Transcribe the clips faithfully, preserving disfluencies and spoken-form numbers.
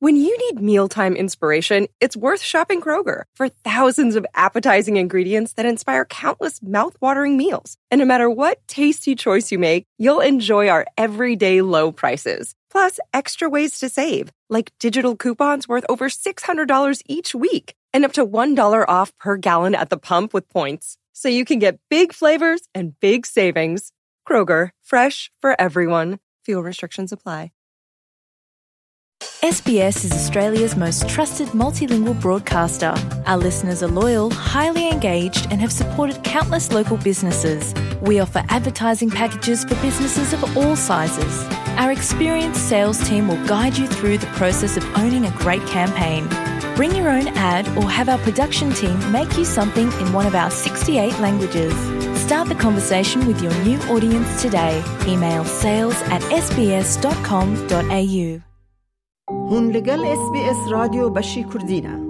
When you need mealtime inspiration, it's worth shopping Kroger. For thousands of appetizing ingredients that inspire countless mouth-watering meals. And no matter what tasty choice you make, you'll enjoy our everyday low prices. Plus, extra ways to save, like digital coupons worth over six hundred dollars each week and up to one dollar off per gallon at the pump with points. So you can get big flavors and big savings. Kroger, fresh for everyone. Fuel restrictions apply. S B S is Australia's most trusted multilingual broadcaster. Our listeners are loyal, highly engaged, and have supported countless local businesses. We offer advertising packages for businesses of all sizes. Our experienced sales team will guide you through the process of owning a great campaign. Bring your own ad or have our production team make you something in one of our sixty-eight languages. Start the conversation with your new audience today. Email sales at S B S dot com dot A U. Hûn li gel S B S Radyo Beşî Kurdî ne.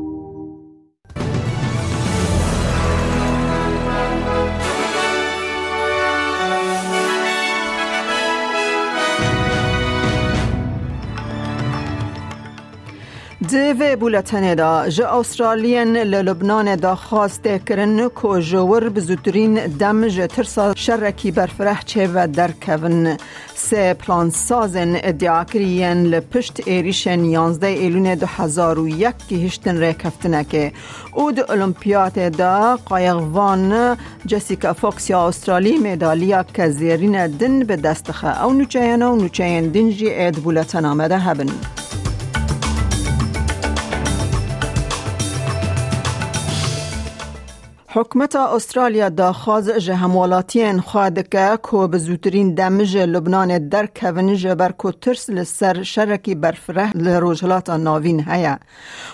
Di vê bûletenê de ji Awstraliyên li Lubnanê daxwaz tê kirin ku ji wir bi zûtirîn dem ji tirsa şerekî berfireh çêbe derkevin. Sê plansazên îdiakirî yên li pişt êrîşên yanzdeh Êlûnê du hezar û yek gihiştin rêkeftinekê û di Olimpiyatê de qayiqvan Jessica Fox ya Awstralî medaliyeke zêrîne din bi dest dixe. Ew nûçeyene û nûçeyên din jî ê di bûletena me de hebin. Hikûmeta Australya daxwaz ji hemwelatiyên xwe dike ku bi zûtirîn dem ji Lubnanê derkevin, ji ber ku tirs li ser şerekî berfireh li Rojhilata Navîn heye.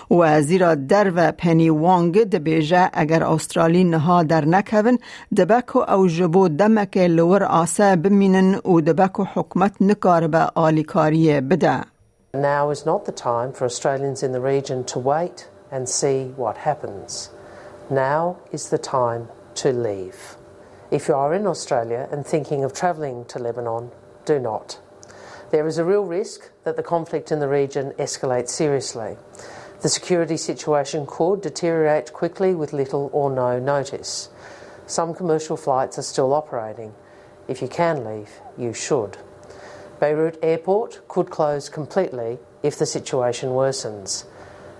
Wezîra Derve Penny Wong dibêje, eger Australî niha dernekevin, dibe ku ew ji bo demekê li wir ase bimînin û dibe ku hikûmet nikaribe alîkariyê bide. Now is not the time for Australians in the region to wait and see what happens. Now is the time to leave. If you are in Australia and thinking of travelling to Lebanon, do not. There is a real risk that the conflict in the region escalates seriously. The security situation could deteriorate quickly with little or no notice. Some commercial flights are still operating. If you can leave, you should. Beirut Airport could close completely if the situation worsens.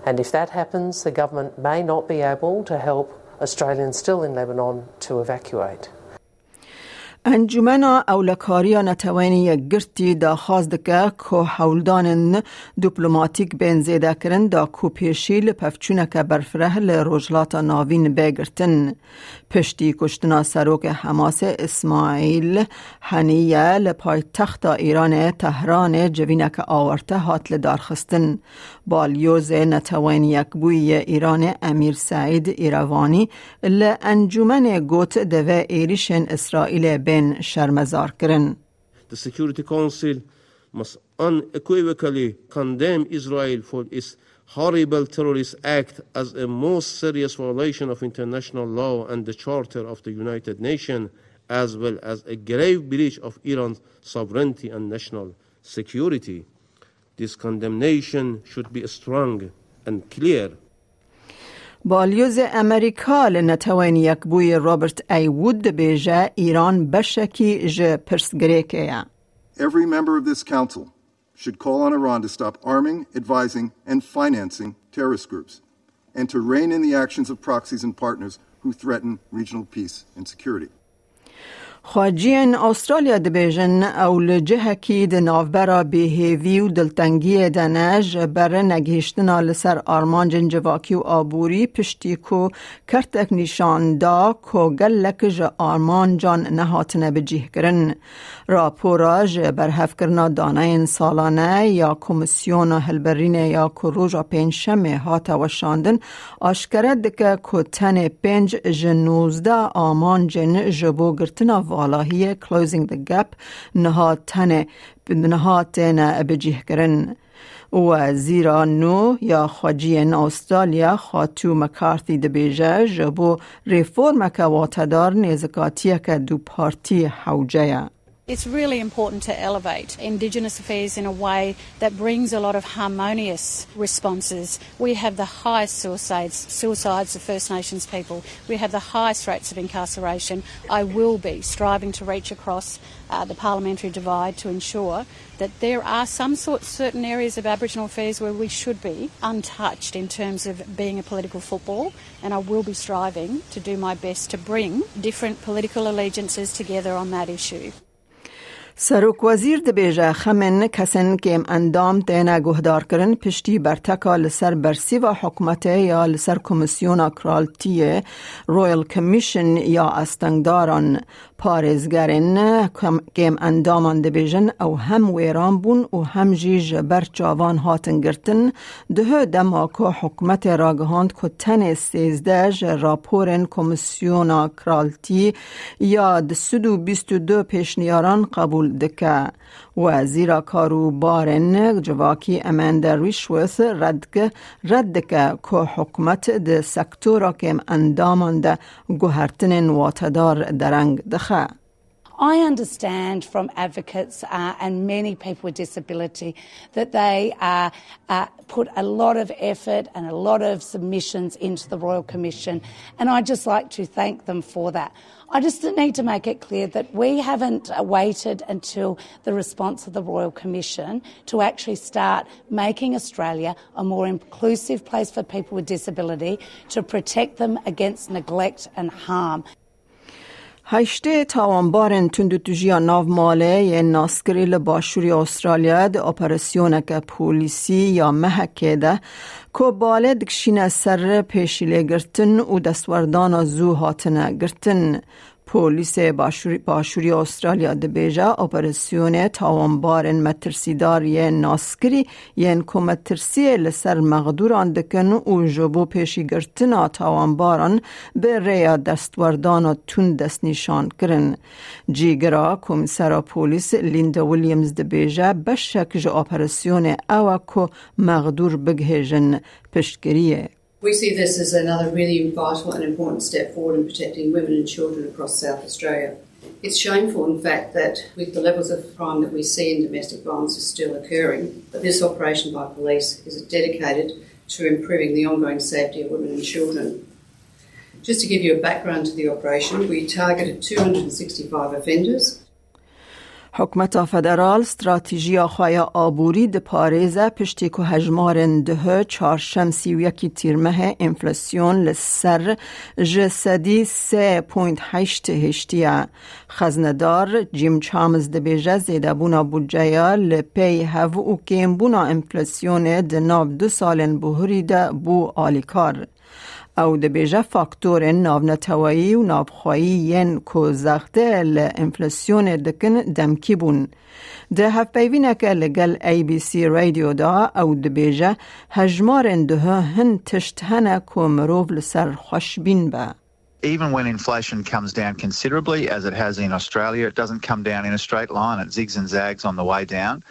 And if that happens, the government may not be able to help Australians still in Lebanon to evacuate. Encûmena Ewlekariya Neteweyên Yekgirtî daxwaz dike ku hewldanên diplomatîk bên zêdekirin da ku pêşî li pevçûneke berfireh li Rojhilata Navîn bê girtin. Piştî kuştina serokê Hemasê Îsmaîl Haniye li paytexta Îranê Tehranê civîneke awarte hat lidarxistin. Balyozê Neteweyên Yekbûyî yê Îranê Emîr Seîd Îrevanî li encûmenê got, divê êrîşên Îsraîlê bên şermezarkirin. The Security Council must unequivocally condemn Israel for its horrible terrorist act as a most serious violation of international law and the Charter of the United Nations, as well as a grave breach of Iran's sovereignty and national security. This condemnation should be strong and clear. Balyozê Amerîka li Neteweyên Yekbûyî Robert A. Wood dibêje, Îran beşekî ji pirsgirêkê ye. Every member of this council should call on Iran to stop arming, advising, and financing terrorist groups, and to rein in the actions of proxies and partners who threaten regional peace and security. Xweciyên Awustralya dibêjin, ew li cihekî di navbera bêhêvî û diltengiyê de ne, ji ber negihiştina li ser armancên civakî û aborî, piştî ku kertek nîşan da ku gelek ji armancan nehatine bicihkirin. Rapora ji berhevkirina daneyên salane ya Komîsyona Hilberînê ya ku roja Pêncşemê hate weşandin, aşkere dike ku tenê pênc ji nozdeh amancên ji bo girtina valahiyê, Closing the Gap, niha tenê, niha têne bicihkirin. Wezîra nû ya Xweciyên Awustralya, Xatû McCarthy, dibêje, ji bo reformeke watedar nêzikatiyeke dupartî hewce ye. It's really important to elevate Indigenous affairs in a way that brings a lot of harmonious responses. We have the highest suicides, suicides of First Nations people. We have the highest rates of incarceration. I will be striving to reach across uh, the parliamentary divide to ensure that there are some sorts, certain areas of Aboriginal affairs where we should be untouched in terms of being a political football, and I will be striving to do my best to bring different political allegiances together on that issue. Serok Wezîr dibêje, xemên kesên kêm endam têne guhdarkirin piştî berteka li ser bersîva hikûmetê ya li ser Komîsyona Kraltiyê, Royal Commission, ya astengdaran. Parêzgerên kêm endaman dibêjin ew hem wêran bûn û hem jî ji ber çavan hatin girtin, dihe dema ku hikûmetê ragihand ku tenê sêzdeh ji raporên Komîsyona Kraltî ya du sed û bîst û du pêşniyaran qebûl dike. Wezîra Kar û Barên Civakî Amanda Rishworth red dike, red dike ku hikûmet di sektora kêm endaman de guhertinên watedar dereng dixe. I understand from advocates uh, and many people with disability that they uh, uh, put a lot of effort and a lot of submissions into the Royal Commission, and I'd just like to thank them for that. I just need to make it clear that we haven't waited until the response of the Royal Commission to actually start making Australia a more inclusive place for people with disability to protect them against neglect and harm. Heştê tawanbarên tundûtûjiya nav malê yên naskirî li başûrê Australya di operasyoneke polîsî ya mehekê de ku balê dikişîne ser pêşîlêgirtin û destwerdana zû hatine girtin. Polîsê Başûrî, Başûrî Australya dibêje, operasyonê tawanbarên metirsîdar yên naskirî yên ku metirsiyê li ser mexdûran dikin û ji bo pêşîgirtina tawanbaran bi rêya destwerdana tund destnîşan kirin. Cîgira Komîsera Polîs Linda Williams dibêje, beşek ji operasyonê ew e ku mexdûr bigihêjin piştgiriyê. We see this as another really vital and important step forward in protecting women and children across South Australia. It's shameful, in fact, that with the levels of crime that we see in domestic violence is still occurring, that this operation by police is dedicated to improving the ongoing safety of women and children. Just to give you a background to the operation, we targeted two hundred and sixty-five offenders. Hikûmeta federal stratejiya xwe ya aborî diparêze piştî ku hejmarên duhe çarşemsî û yekî tîrmehê enflasyon li ser ji sedî sê point heşt hiştiye. Xeznedar Jim Chalmers dibêje, zêdebûna budceya li pey hev û kêmbûna enflasyonê di nav du salên buhurî de bû alîkar. Ew dibêje, faktorên navneteweyî û navxweyî yên ku zextê li enflasyonê dikin demkî bûn. Di hevpeyvîneke li gel A B C Radio de ew dibêje, hejmarên duhe hin tişt hene ku mirov li ser xweşbîn be. Even when inflation comes down considerably, as it has in Australia, it doesn't come down in a straight line. It zigs and zags on the way down.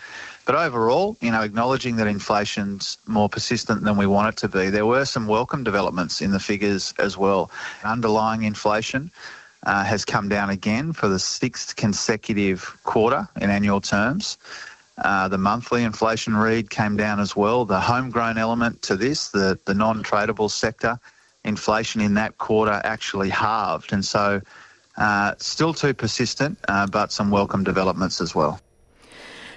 But overall, you know, acknowledging that inflation's more persistent than we want it to be, there were some welcome developments in the figures as well. Underlying inflation uh, has come down again for the sixth consecutive quarter in annual terms. Uh, the monthly inflation read came down as well. The homegrown element to this, the, the non-tradable sector, inflation in that quarter actually halved. And so, uh, still too persistent, uh, but some welcome developments as well.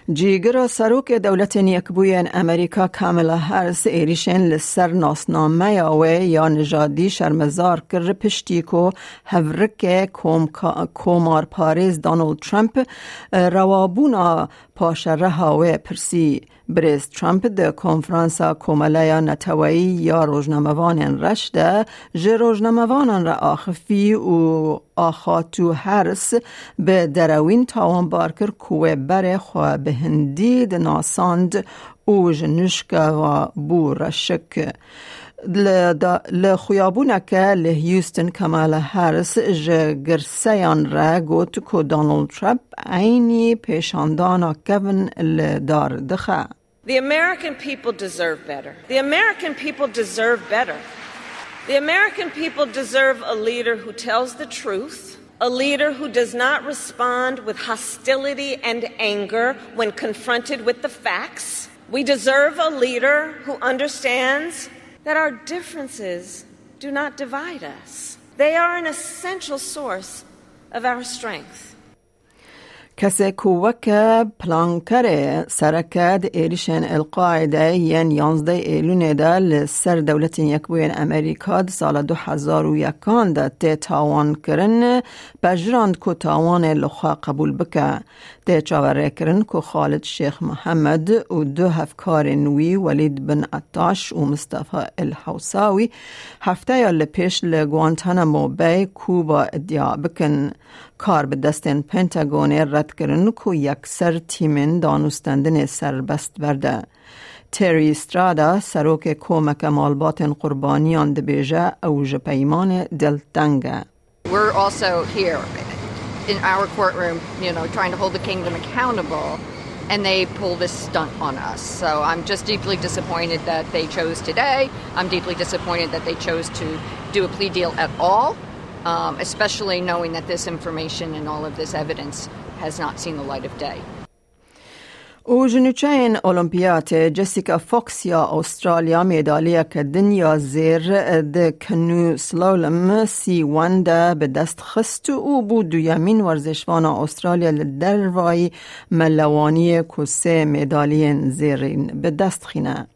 Cîgira Serokê Dewletên Yekbûyên Amerîka Kamala Harris êrîşên li ser nasnameya wê ya nijadî şermezar kir, piştî ku hevrikê komka-, komarparêz Donald Trump, e, rewabûna paşereha wê pirsî. Birêz Trump di konferansa Komeleya Neteweyî ya Rojnamevanên Reş de ji rojnamevanan re axifî û axafî, Harris bi derewîn tawanbar kir ku wê berê xwe bi hindî dinasand û ji nişka ve bû reşik. Li da-, li xuyabûneke li Houston, Kamala Harris ji girseyan re got ku Donald Trump eynî pêşandana kevin li dar dixe. The American people deserve better. The American people deserve better. The American people deserve a leader who tells the truth, A leader who does not respond with hostility and anger when confronted with the facts. We deserve a leader who understands that our differences do not divide us. They are an essential source of our strength. Kesê ku weke plankerê sereke di êrişên El-Qaîde yên yanzdeh Êlûnê de li ser Dewletên Yekbûyên Amerîka di sala du hezar û yekan de tê tawankirin, pejirand ku tawanê li xwe qebûl bike. Tê çaverêkirin ku Xalid Şêx Mihemed û du hevkarên wî Welîd bin Ettaş û Mistefa El Hewsawî hefteya li pêş li Guantanamo Bay, Kuba, iddia bikin. Kar bi destên Pentagonê red kirin ku yekser tîmên danûstendinê serbest berde. Terry Strada, serokê Komeke Malbatên Qurbaniyan, dibêje ew ji peymanê dilteng e. We're also here in our courtroom, you know, trying to hold the kingdom accountable, and they pull this stunt on us. So I'm just deeply disappointed that they chose today. I'm deeply disappointed that they chose to do a plea deal at all, um, especially knowing that this information and all of this evidence has not seen the light of day. Û ji nûçeyên Olimpiyatê Jessica Fox ya Astralya medaliyeke din ya zêr di canoe slalom C one de bi dest xist û bû duyemîn werzêşvana Astralya li dervayî melewaniyê ku sê medaliyên zêrîn bi dest xîne.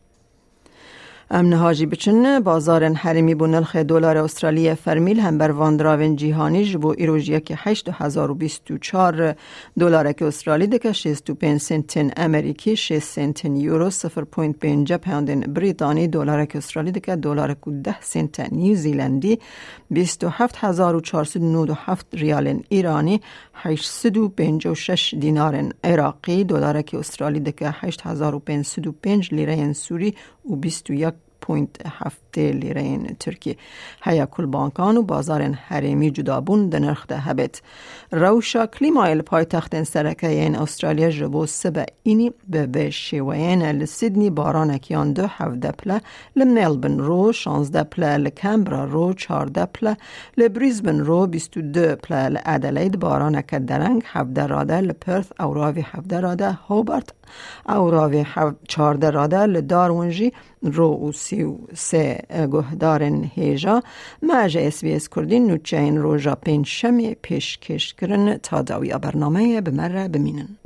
Em niha jî biçin bazarên herêmî bo nirxê dolarê Astraliyê fermî li hember van diravên cîhanî. Ji bo îro ji yekê heşt du hezar û bîst û çar dolareke Astralî dike şêst û pênc sentên Amerîkî, şêst sentên Euro, sifir point pênc peyondên Brîtanî, dolareke Astralî dike dolarek û deh sente New Zealandî, bîst û heft hezar û çar sed û nod û heft riyalên Îranî, heşt sed û pêncî û şeş dînarên Iraqî, dolareke Astralî dike heşt hezar û pênc sed û pênc lîreyên Sûrî û bîst û yek point heftê lîreyên Tirkî. Heya ku li bankan û bazarên herêmî cudabûn di nirx de hebêt. Rewşa klîmayê li paytextên sereke yên Astralya ji bo sibe înî bi vê şêweyê ne: li Sydney baranek yan du, hevdeh pile, li Melbourne ro şazdeh pile, li Canberra ro çardeh pile, li Brisbane ro bîst û du pile, li Adelaide baraneke dereng hevdeh rade, li Perth ewravî hevdeh rade, Hobart ewravî hev-, çardeh rade, li Darwin jî ro û sî û sê guhdarên hêja. Me ji S B S Kurdî nûçeyên roja pêncşemê pêşkêş kirin. Ta dawiya bernameyê bi me re bimînin.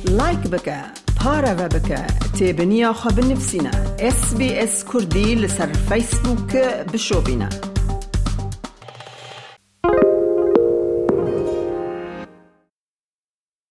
Like bike, pareve bike, têbiniya xwe binivîsîne. S B S Kurdî li ser Facebook bişopîne.